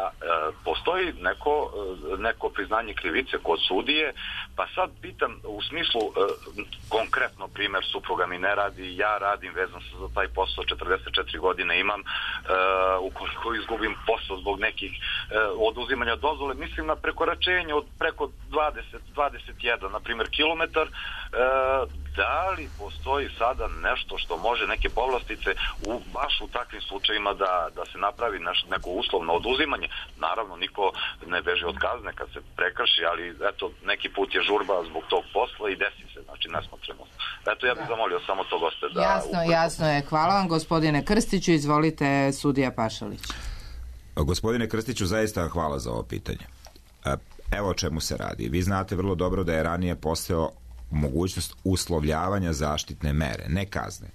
postoji neko, neko priznanje krivice kod sudije, pa sad pitam u smislu e, konkretno primjer, supruga mi ne radi, ja radim, vezan sam za taj posao, četrdeset četiri godine imam, e, ukoliko izgubim posao zbog nekih e, oduzimanja dozvole, mislim na prekoračenje od preko dvadeset dvadeset jedan, na primjer, kilometar, e, da li postoji sada nešto što može neke povlastice u, baš u takvim slučajima da, da se napravi naš, neko uslovno oduzimanje? Naravno, niko ne beži od kazne kad se prekrši, ali eto, neki put je žurba zbog tog posla i desi se, znači nesmotrenost. Eto, ja bih zamolio samo to goste da...
Jasno, upravo... jasno je. Hvala vam, gospodine Krstiću. Izvolite, sudija Pašalić.
Gospodine Krstiću, zaista hvala za ovo pitanje. Evo o čemu se radi. Vi znate vrlo dobro da je ranije postojao mogućnost uslovljavanja zaštitne mere, ne kazne.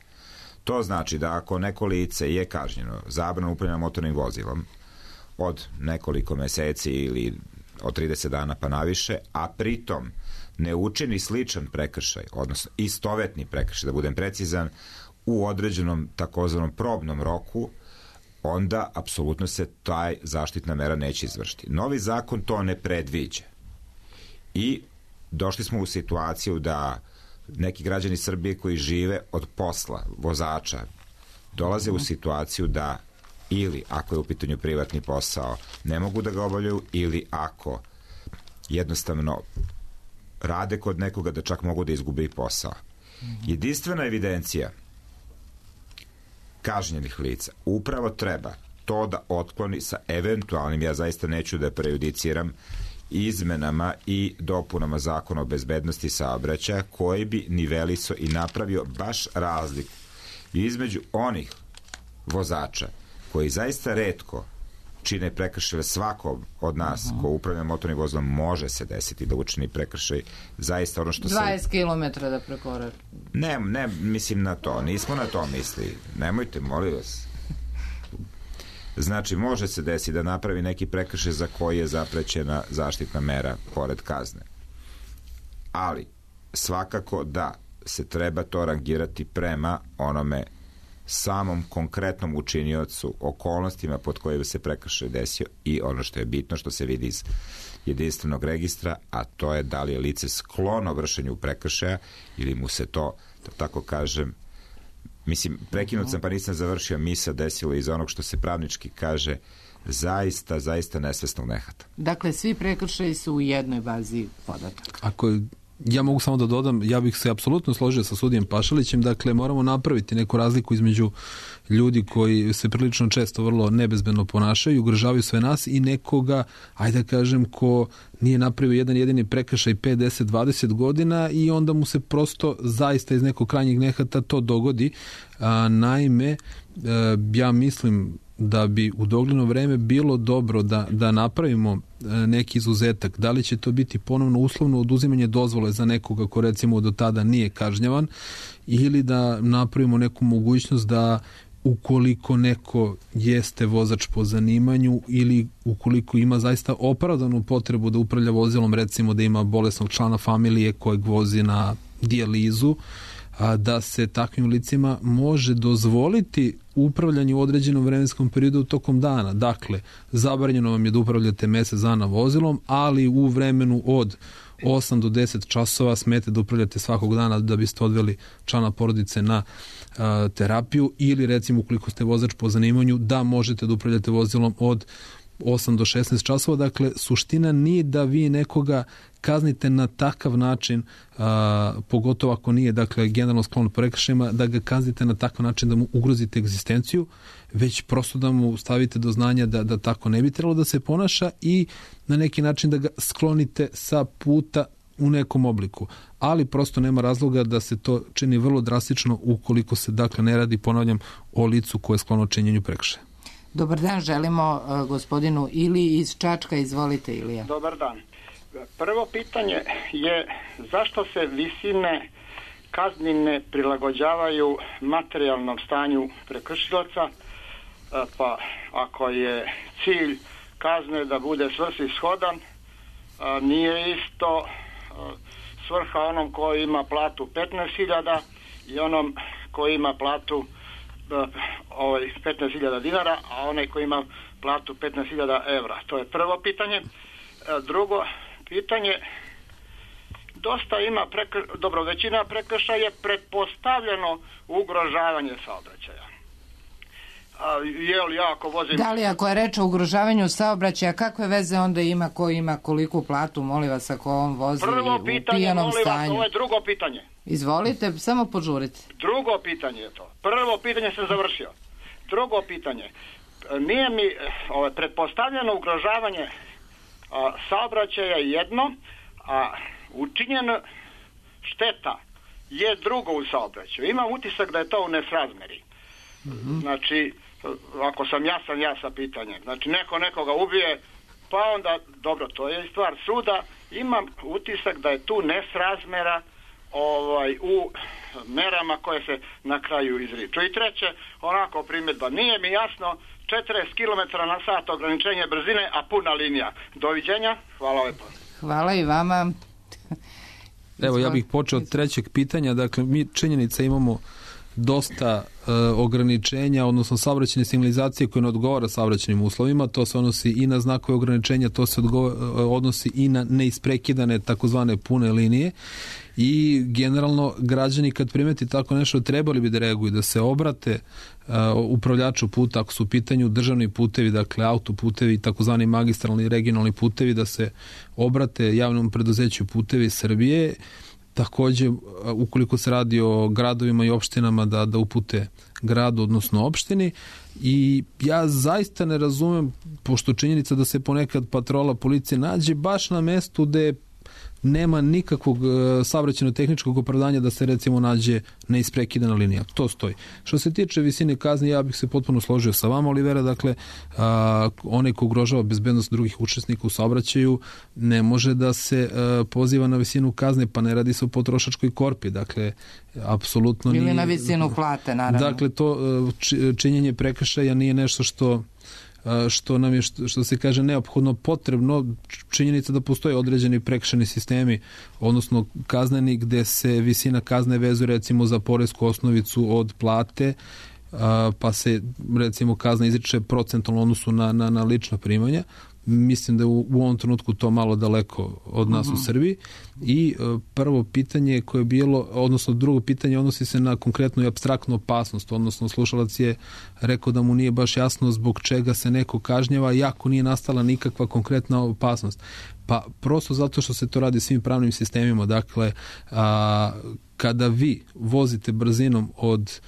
To znači da ako neko lice je kažnjeno zabranom upravljanja motornim vozilom od nekoliko meseci ili od trideset dana pa naviše, a pritom ne učini sličan prekršaj, odnosno istovetni prekršaj, da budem precizan, u određenom takozvanom probnom roku, onda apsolutno se taj zaštitna mera neće izvršiti. Novi zakon to ne predviđa. I došli smo u situaciju da neki građani Srbije koji žive od posla vozača dolaze u situaciju da ili ako je u pitanju privatni posao ne mogu da ga obavljaju, ili ako jednostavno rade kod nekoga da čak mogu da izgube i posao. Jedinstvena evidencija kažnjenih lica upravo treba to da otkloni sa eventualnim, ja zaista neću da prejudiciram, izmenama i dopunama Zakona o bezbednosti saobraćaja koji bi nivelisao i napravio baš razliku između onih vozača koji zaista retko čine prekršaje. Svako od nas ko upravlja motornim vozilom može se desiti da učini prekršaj, zaista ono što se...
dvadeset kilometara da prekorači.
Ne, ne, mislim na to, nismo na to misli. Nemojte, molim vas. Znači, može se desiti da napravi neki prekršaj za koji je zaprećena zaštitna mera pored kazne. Ali, svakako da se treba to rangirati prema onome samom konkretnom učiniocu, okolnostima pod kojima se prekršaj desio i ono što je bitno, što se vidi iz jedinstvenog registra, a to je da li je lice sklono vršenju prekršaja ili mu se to, da tako kažem, mislim, prekinut sam pa nisam završio, mi se desilo iz onog što se pravnički kaže zaista, zaista nesvesnog nehata.
Dakle, svi prekršaji su u jednoj bazi podataka.
Ako je, ja mogu samo da dodam, ja bih se apsolutno složio sa sudijem Pašalićem, dakle moramo napraviti neku razliku između ljudi koji se prilično često vrlo nebezbedno ponašaju, ugrožavaju sve nas, i nekoga, ajde da kažem, ko nije napravio jedan jedini prekršaj pet, deset, dvadeset godina i onda mu se prosto zaista iz nekog krajnjeg nehata to dogodi. A, naime, a, ja mislim da bi u dogledno vreme bilo dobro da, da napravimo neki izuzetak. Da li će to biti ponovno uslovno oduzimanje dozvole za nekoga ko recimo do tada nije kažnjavan, ili da napravimo neku mogućnost da ukoliko neko jeste vozač po zanimanju ili ukoliko ima zaista opravdanu potrebu da upravlja vozilom, recimo da ima bolesnog člana familije kojeg vozi na dijalizu, a, da se takvim licima može dozvoliti upravljanje u određenom vremenskom periodu tokom dana. Dakle, zabranjeno vam je da upravljate mesec dana vozilom, ali u vremenu od osam do deset časova smete da upravljate svakog dana da biste odveli člana porodice na a, terapiju, ili recimo ukoliko ste vozač po zanimanju da možete da upravljate vozilom od osam do šesnaest časova. Dakle, suština nije da vi nekoga kaznite na takav način, a, pogotovo ako nije, dakle, generalno sklon prekršajima, da ga kaznite na takav način da mu ugrozite egzistenciju, već prosto da mu stavite do znanja da, da tako ne bi trebalo da se ponaša i na neki način da ga sklonite sa puta u nekom obliku. Ali prosto nema razloga da se to čini vrlo drastično ukoliko se, dakle, ne radi, ponavljam, o licu koje je sklono činjenju prekršaja.
Dobar dan, želimo uh, gospodinu Ili iz Čačka. Izvolite, Ilija.
Dobar dan. Prvo pitanje je zašto se visine kazni ne prilagođavaju materijalnom stanju prekršilaca, pa ako je cilj kazne da bude svrsishodan, nije isto svrha onom koji ima platu petnaest hiljada i onom koji ima platu ovaj, petnaest hiljada dinara, a onaj koji ima platu petnaest hiljada evra. To je prvo pitanje. Drugo pitanje, dosta ima, prekr... dobro, većina prekršaja je pretpostavljeno ugrožavanje saobraćaja. A, je li ja ako vozim...
Da li ako je reč o ugrožavanju saobraćaja, kakve veze onda ima ko ima koliku platu, molim vas, ako on vozi
Prvo
u
pitanje,
pijanom
molim
stanju?
vas, ovo je drugo pitanje.
Izvolite, samo požurite.
Drugo pitanje je to. Prvo pitanje sam završio. Drugo pitanje. Nije mi ovo, pretpostavljeno ugrožavanje a, saobraćaja jedno, a učinjena šteta je drugo u saobraćaju. Imam utisak da je to u nesrazmeri. Mm-hmm. Znači, ako sam jasan, ja sa pitanjem. Znači, neko nekoga ubije, pa onda, dobro, to je stvar suda. Imam utisak da je tu nesrazmera ovaj, u merama koje se na kraju izriču. I treće, onako primjedba, nije mi jasno, četrdeset kilometara na sat ograničenje brzine, a puna linija. Doviđenja, hvala lepo.
Hvala i vama.
Evo, ja bih počeo od trećeg pitanja. Dakle, mi činjenica imamo dosta e, ograničenja, odnosno saobraćajne signalizacije koje ne odgovara saobraćajnim uslovima. To se odnosi i na znakove ograničenja, to se odgovara, odnosi i na neisprekidane takozvane pune linije. I generalno građani kad primeti tako nešto trebali bi da reaguju, da se obrate uh, upravljaču puta ako su u pitanju državni putevi, dakle autoputevi, takozvani magistralni i regionalni putevi, da se obrate javnom preduzeću Putevi Srbije. Takođe, ukoliko se radi o gradovima i opštinama, da, da upute gradu, odnosno opštini. I ja zaista ne razumem, pošto činjenica da se ponekad patrola policije nađe baš na mestu gde nema nikakvog saobraćajno-tehničkog opravdanja da se recimo nađe neisprekidana linija. To stoji. Što se tiče visine kazni, ja bih se potpuno složio sa vama, Olivera. Dakle, a, onaj ko ugrožava bezbednost drugih učesnika u saobraćaju ne može da se a, poziva na visinu kazne, pa ne radi se o potrošačkoj korpi. Dakle, apsolutno nije...
Ili na visinu plate, naravno.
Dakle, to činjenje prekršaja nije nešto što što nam je, što, što se kaže, neophodno potrebno. Činjenica da postoje određeni prekršajni sistemi, odnosno kazneni, gde se visina kazne vezuje recimo za poresku osnovicu od plate, pa se recimo kazna izriče procentalno odnosu na, na, na lična primanja. Mislim da je u, u ovom trenutku to malo daleko od nas uh-huh. u Srbiji. I uh, prvo pitanje koje je bilo, odnosno drugo pitanje odnosi se na konkretnu i apstraktnu opasnost, odnosno slušalac je rekao da mu nije baš jasno zbog čega se neko kažnjava iako nije nastala nikakva konkretna opasnost. Pa prosto zato što se to radi svim pravnim sistemima. Dakle, a, kada vi vozite brzinom od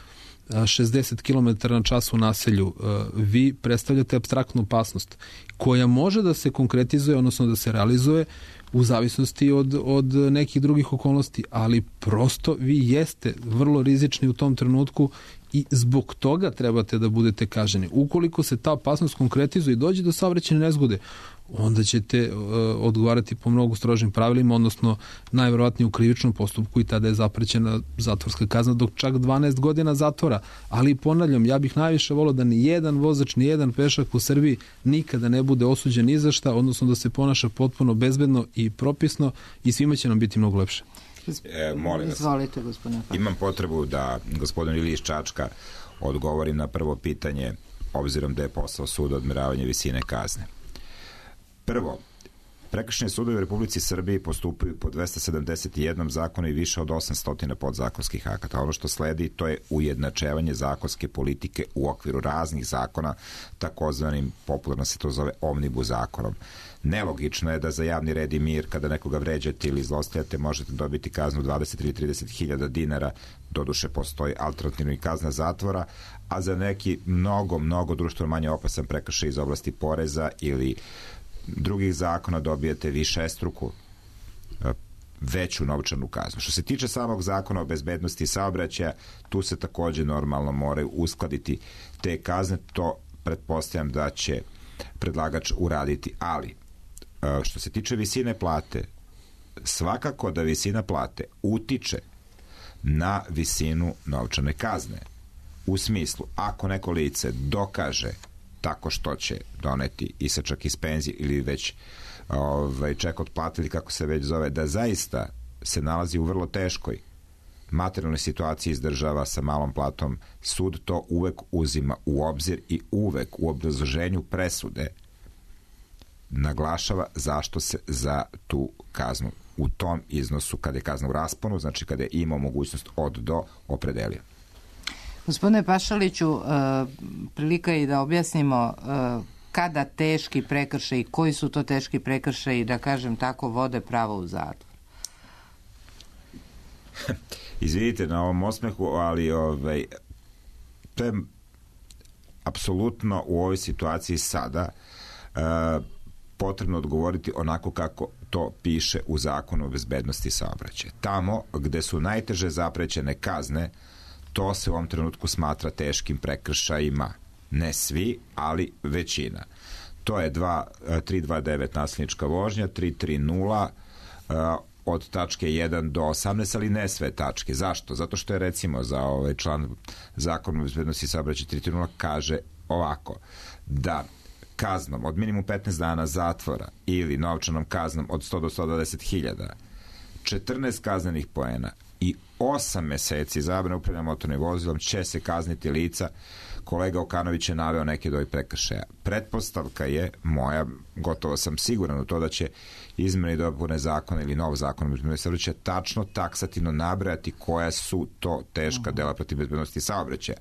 šezdeset kilometara na čas u naselju, vi predstavljate apstraktnu opasnost koja može da se konkretizuje, odnosno da se realizuje u zavisnosti od, od nekih drugih okolnosti, ali prosto vi jeste vrlo rizični u tom trenutku i zbog toga trebate da budete kažnjeni. Ukoliko se ta opasnost konkretizuje i dođe do saobraćajne nezgode, onda ćete uh, odgovarati po mnogo strožim pravilima, odnosno najverovatnije u krivičnom postupku i tada je zaprećena zatvorska kazna do čak dvanaest godina zatvora. Ali ponavljam, ja bih najviše volio da ni jedan vozač, ni jedan pešak u Srbiji nikada ne bude osuđen ni za šta, odnosno da se ponaša potpuno bezbedno i propisno i svima će nam biti mnogo lepše.
E, molim vas.
Izvolite, gospodine Pašalić.
Imam potrebu da gospodin Ilija iz Čačka odgovorim na prvo pitanje, obzirom da je posao suda odmeravanje visine kazne. Prvo, prekršajni sudovi u Republici Srbiji postupaju po dvesta sedamdeset jedan zakona i više od osamsto podzakonskih akata. Ono što sledi, to je ujednačevanje zakonske politike u okviru raznih zakona, takozvanim, popularno se to zove, omnibus zakonom. Nelogično je da za javni red i mir, kada nekoga vređate ili zlostavljate, možete dobiti kaznu dvadeset ili trideset hiljada dinara, doduše postoji alternativna kazna zatvora, a za neki mnogo, mnogo društveno manje opasan prekršaj iz oblasti poreza ili drugih zakona dobijete višestruku veću novčanu kaznu. Što se tiče samog zakona o bezbednosti saobraćaja, tu se takođe normalno moraju uskladiti te kazne, to pretpostavljam da će predlagač uraditi, ali što se tiče visine plate, svakako da visina plate utiče na visinu novčane kazne. U smislu, ako neko lice dokaže tako što će doneti isečak iz penzije ili već ovaj, ček otplatili, kako se već zove, da zaista se nalazi u vrlo teškoj materijalnoj situaciji iz država sa malom platom, sud to uvek uzima u obzir i uvek u obrazloženju presude naglašava zašto se za tu kaznu u tom iznosu, kada je kazna u rasponu, znači kada je imao mogućnost od do, opredelio.
Gospodine Pašaliću, prilika je i da objasnimo kada teški prekršaji, koji su to teški prekršaji, da kažem tako, vode pravo u zatvor.
Izvidite na ovom osmehu, ali ovaj, to je apsolutno u ovoj situaciji sada uh, potrebno odgovoriti onako kako to piše u Zakonu o bezbednosti saobraćaja. Tamo gde su najteže zaprećene kazne, to se u ovom trenutku smatra teškim prekršajima. Ne svi, ali većina. To je tri dvadeset devet nasilnička vožnja, tri trideset uh, od tačke jedan do osamnaest, ali ne sve tačke. Zašto? Zato što je recimo za ovaj član Zakona o bezbednosti saobraćaja tri trideset kaže ovako, da kaznom od minimum petnaest dana zatvora ili novčanom kaznom od sto do sto dvadeset hiljada, četrnaest kaznenih poena i osam meseci zabrane upravljanja motornim vozilom će se kazniti lica. Kolega Okanović je naveo neke od ovih prekršaja. Pretpostavka je moja, gotovo sam siguran u to da će izmene i dopune zakona ili nov zakon o bezbednosti saobraćaja tačno taksativno nabrajati koja su to teška dela protiv bezbednosti saobraćaja.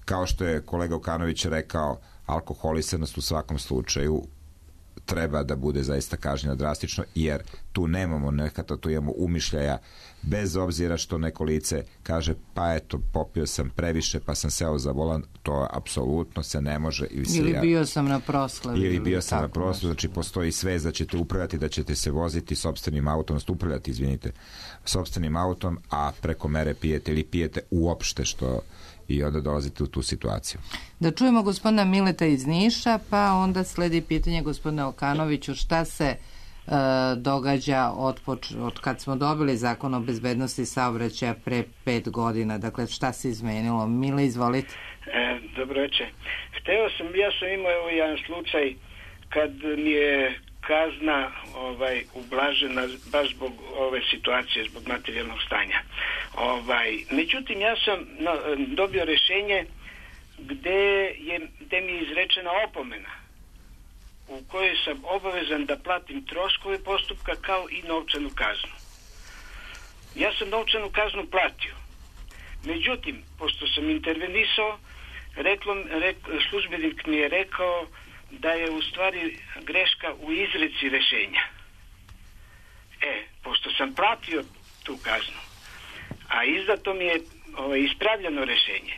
Kao što je kolega Okanović rekao, alkoholisanost u svakom slučaju treba da bude zaista kažnjena drastično, jer tu nemamo nekada, tu imamo umišljaja, bez obzira što neko lice kaže, pa eto, popio sam previše, pa sam seo za volan, to apsolutno se ne može. Ili,
ili
ja,
bio sam na proslavi.
Ili bio sam na proslavi, znači postoji svest da ćete upravljati, da ćete se voziti sopstvenim autom, upravljati, izvinite, sopstvenim autom, a preko mere pijete ili pijete uopšte, što i onda dolazite u tu situaciju.
Da čujemo gospodina Mileta iz Niša, pa onda sledi pitanje gospodina Okanoviću, šta se e, događa od, poč- od kad smo dobili zakon o bezbednosti saobraćaja pre pet godina, dakle šta se izmenilo? Mile, izvolite.
E, dobro večer. Hteo sam, ja sam imao evo jedan slučaj kad mi je kazna ovaj ublažena baš zbog ove situacije, zbog materijalnog stanja. Ovaj, međutim, ja sam no, dobio rješenje gde, je, gde mi je izrečena opomena u kojoj sam obavezan da platim troškove postupka kao i novčanu kaznu. Ja sam novčanu kaznu platio. Međutim, pošto sam intervenisao, reklo, rek, službenik mi je rekao da je u stvari greška u izreci rješenja. E, pošto sam platio tu kaznu, a izdato mi je ovaj, ispravljeno rješenje,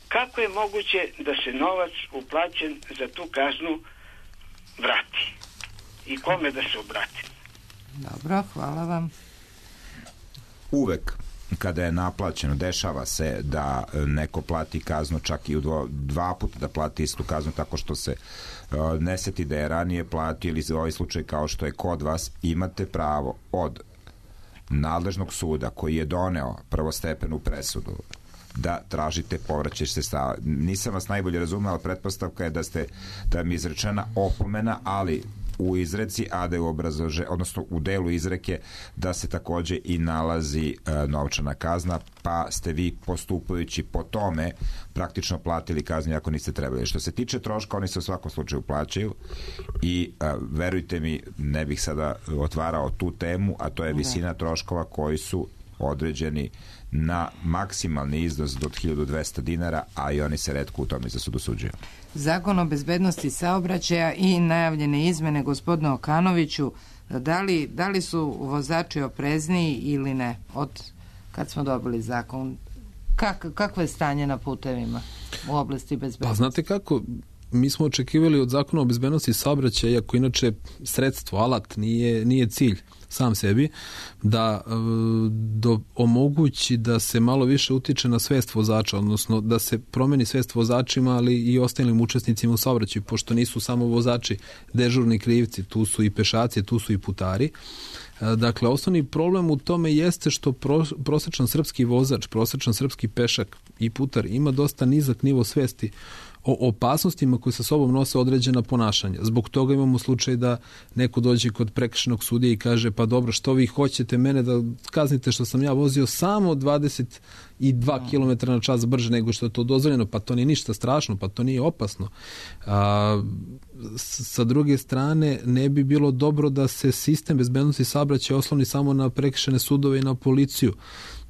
kako je moguće da se novac uplaćen za tu kaznu vrati? I kome da se obrati?
Dobro, hvala vam.
Uvek kada je naplaćeno, dešava se da neko plati kaznu čak i u dvo, dva puta da plati istu kaznu tako što se uh, ne seti da je ranije platio, ili za ovaj slučaj kao što je kod vas, imate pravo od nadležnog suda koji je doneo prvostepenu presudu da tražite povraćaj sredstava. Nisam vas najbolje razumeo, ali pretpostavka je da ste da mi je izrečena opomena, ali u izreci, a da je u obrazlože, odnosno u delu izreke da se takođe i nalazi e, novčana kazna, pa ste vi postupajući po tome praktično platili kaznu ako niste trebali. Što se tiče troška, oni se u svakom slučaju plaćaju i e, verujte mi, ne bih sada otvarao tu temu, a to je visina troškova koji su određeni na maksimalni iznos do hiljadu dvesta dinara, a i oni se retko u tome za sud osuđuju.
Zakon o bezbednosti saobraćaja i najavljene izmene, gospodine Okanoviću, da li, da li su vozači oprezniji ili ne od kad smo dobili zakon? Kak, kakvo je stanje na putevima u oblasti bezbednosti?
Pa znate kako, mi smo očekivali od zakona o bezbednosti saobraćaja, iako inače sredstvo, alat, nije, nije cilj sam sebi, da do, omogući da se malo više utiče na svest vozača, odnosno da se promeni svest vozačima, ali i ostalim učesnicima u saobraćaju, pošto nisu samo vozači dežurni krivci, tu su i pešaci, tu su i putari. Dakle, osnovni problem u tome jeste što pro, prosečan srpski vozač, prosečan srpski pešak i putar ima dosta nizak nivo svesti o opasnostima koje sa sobom nose određena ponašanja. Zbog toga imamo slučaj da neko dođe kod prekršajnog sudije i kaže pa dobro, što vi hoćete mene da kaznite što sam ja vozio samo dvadeset dva kilometra na čas brže nego što je to dozvoljeno, pa to nije ništa strašno, pa to nije opasno. A, sa druge strane, ne bi bilo dobro da se sistem bezbednosti saobraćaja osloni samo na prekršajne sudove i na policiju.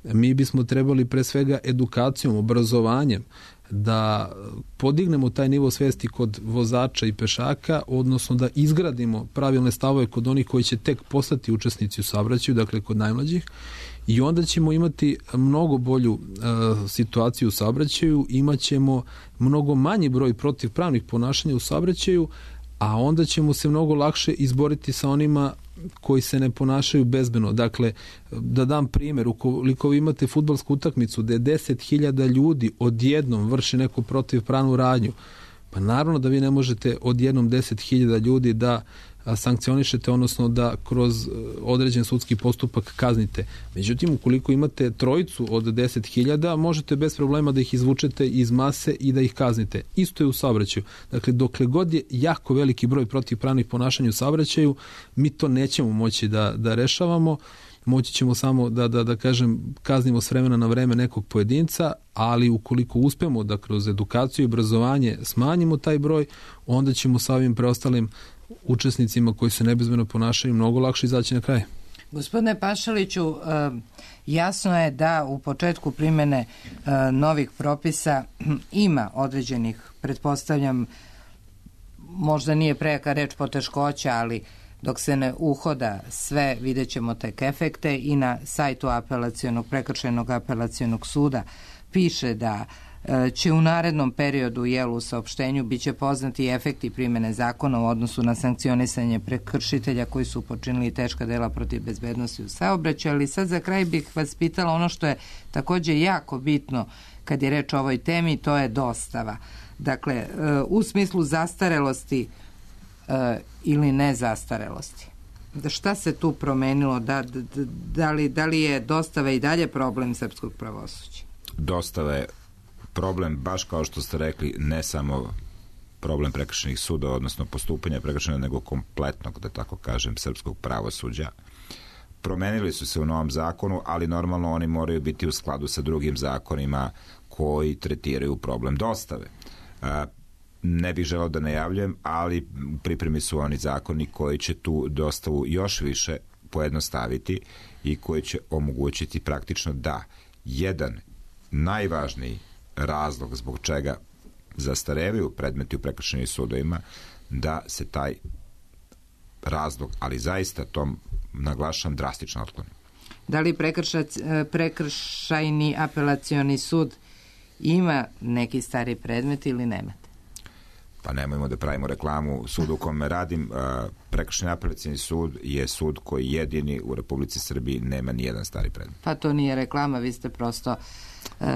Mi bismo trebali pre svega edukacijom, obrazovanjem da podignemo taj nivo svesti kod vozača i pešaka, odnosno da izgradimo pravilne stavove kod onih koji će tek postati učesnici u saobraćaju, dakle kod najmlađih, i onda ćemo imati mnogo bolju uh, situaciju u saobraćaju, imat ćemo mnogo manji broj protivpravnih ponašanja u saobraćaju, a onda ćemo se mnogo lakše izboriti sa onima koji se ne ponašaju bezbedno. Dakle, da dam primjer, ukoliko vi imate fudbalsku utakmicu gde deset hiljada ljudi odjednom vrši neku protivpravnu radnju, pa naravno da vi ne možete odjednom deset hiljada ljudi da sankcionišete, odnosno da kroz određen sudski postupak kaznite. Međutim, ukoliko imate trojicu od deset hiljada, možete bez problema da ih izvučete iz mase i da ih kaznite. Isto je u saobraćaju. Dakle, dokle god je jako veliki broj protivpravnih ponašanja u saobraćaju, mi to nećemo moći da, da rešavamo. Moći ćemo samo da, da, da kažem, kaznimo s vremena na vreme nekog pojedinca, ali ukoliko uspemo da kroz edukaciju i obrazovanje smanjimo taj broj, onda ćemo sa ovim preostalim učesnicima koji se nebezbedno ponašaju mnogo lakše izaći na kraj.
Gospodine Pašaliću, jasno je da u početku primjene novih propisa ima određenih, pretpostavljam, možda nije prejaka reč poteškoća, ali dok se ne uhoda sve, vidjet ćemo tek efekte i na sajtu apelacionog, prekršajnog apelacionog suda piše da će u narednom periodu, jel, u saopštenju biće poznati efekti primjene zakona u odnosu na sankcionisanje prekršitelja koji su počinili teška dela protiv bezbednosti u saobraćaju, ali sad za kraj bih vas pitala ono što je takođe jako bitno kad je reč o ovoj temi, to je dostava. Dakle, u smislu zastarelosti ili ne zastarelosti. Da šta se tu promenilo? Da, da, da, li, da li je dostava i dalje problem srpskog pravosuđa?
Dostava je problem, baš kao što ste rekli, ne samo problem prekršajnih suda, odnosno postupanja prekršajnog, nego kompletnog, da tako kažem, srpskog pravosuđa. Promenili su se u novom zakonu, ali normalno oni moraju biti u skladu sa drugim zakonima koji tretiraju problem dostave. Ne bih želeo da najavljujem, ali u pripremi su oni zakoni koji će tu dostavu još više pojednostaviti i koji će omogućiti praktično da jedan najvažniji razlog zbog čega zastarevaju predmeti u prekršajnim sudovima, da se taj razlog, ali zaista tom naglašam, drastično otkloni.
Da li prekrša, prekršajni apelacioni sud ima neki stari predmet ili nemate?
Pa nemojmo da pravimo reklamu sudu u kome radim. Prekršajni apelacioni sud je sud koji jedini u Republici Srbiji nema ni jedan stari predmet. Pa
to nije reklama, vi ste prosto Uh,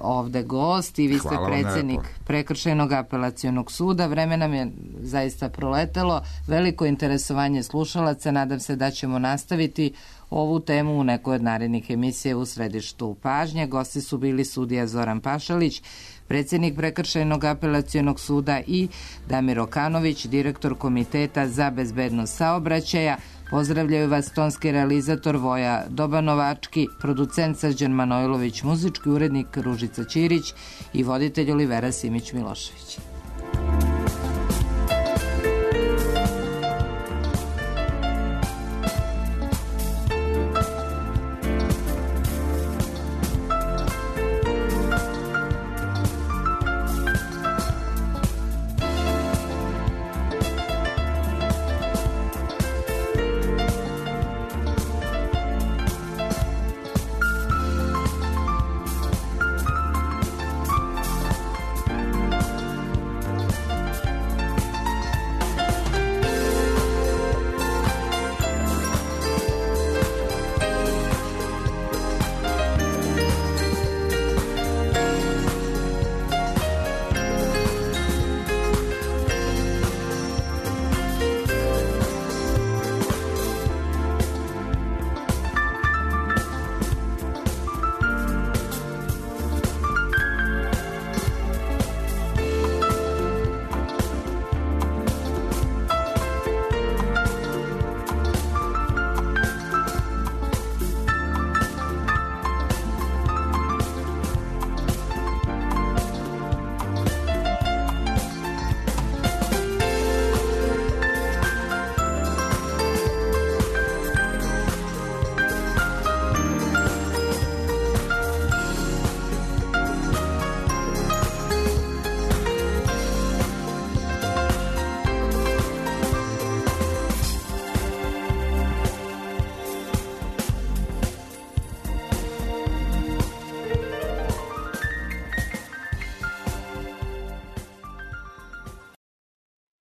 ovde gost i vi ste predsjednik prekršajnog apelacionog suda. Vreme nam je zaista proletelo, veliko interesovanje slušalaca, nadam se da ćemo nastaviti ovu temu u nekoj od narednih emisija u središtu pažnje. Gosti su bili sudija Zoran Pašalić, predsjednik Prekršajnog apelacionog suda i Damir Okanović, direktor Komiteta za bezbednost saobraćaja. Pozdravljaju vas tonski realizator Voja Dobanovački, producent Srđan Manojlović, muzički urednik Ružica Ćirić i voditelj Olivera Simić Milošević.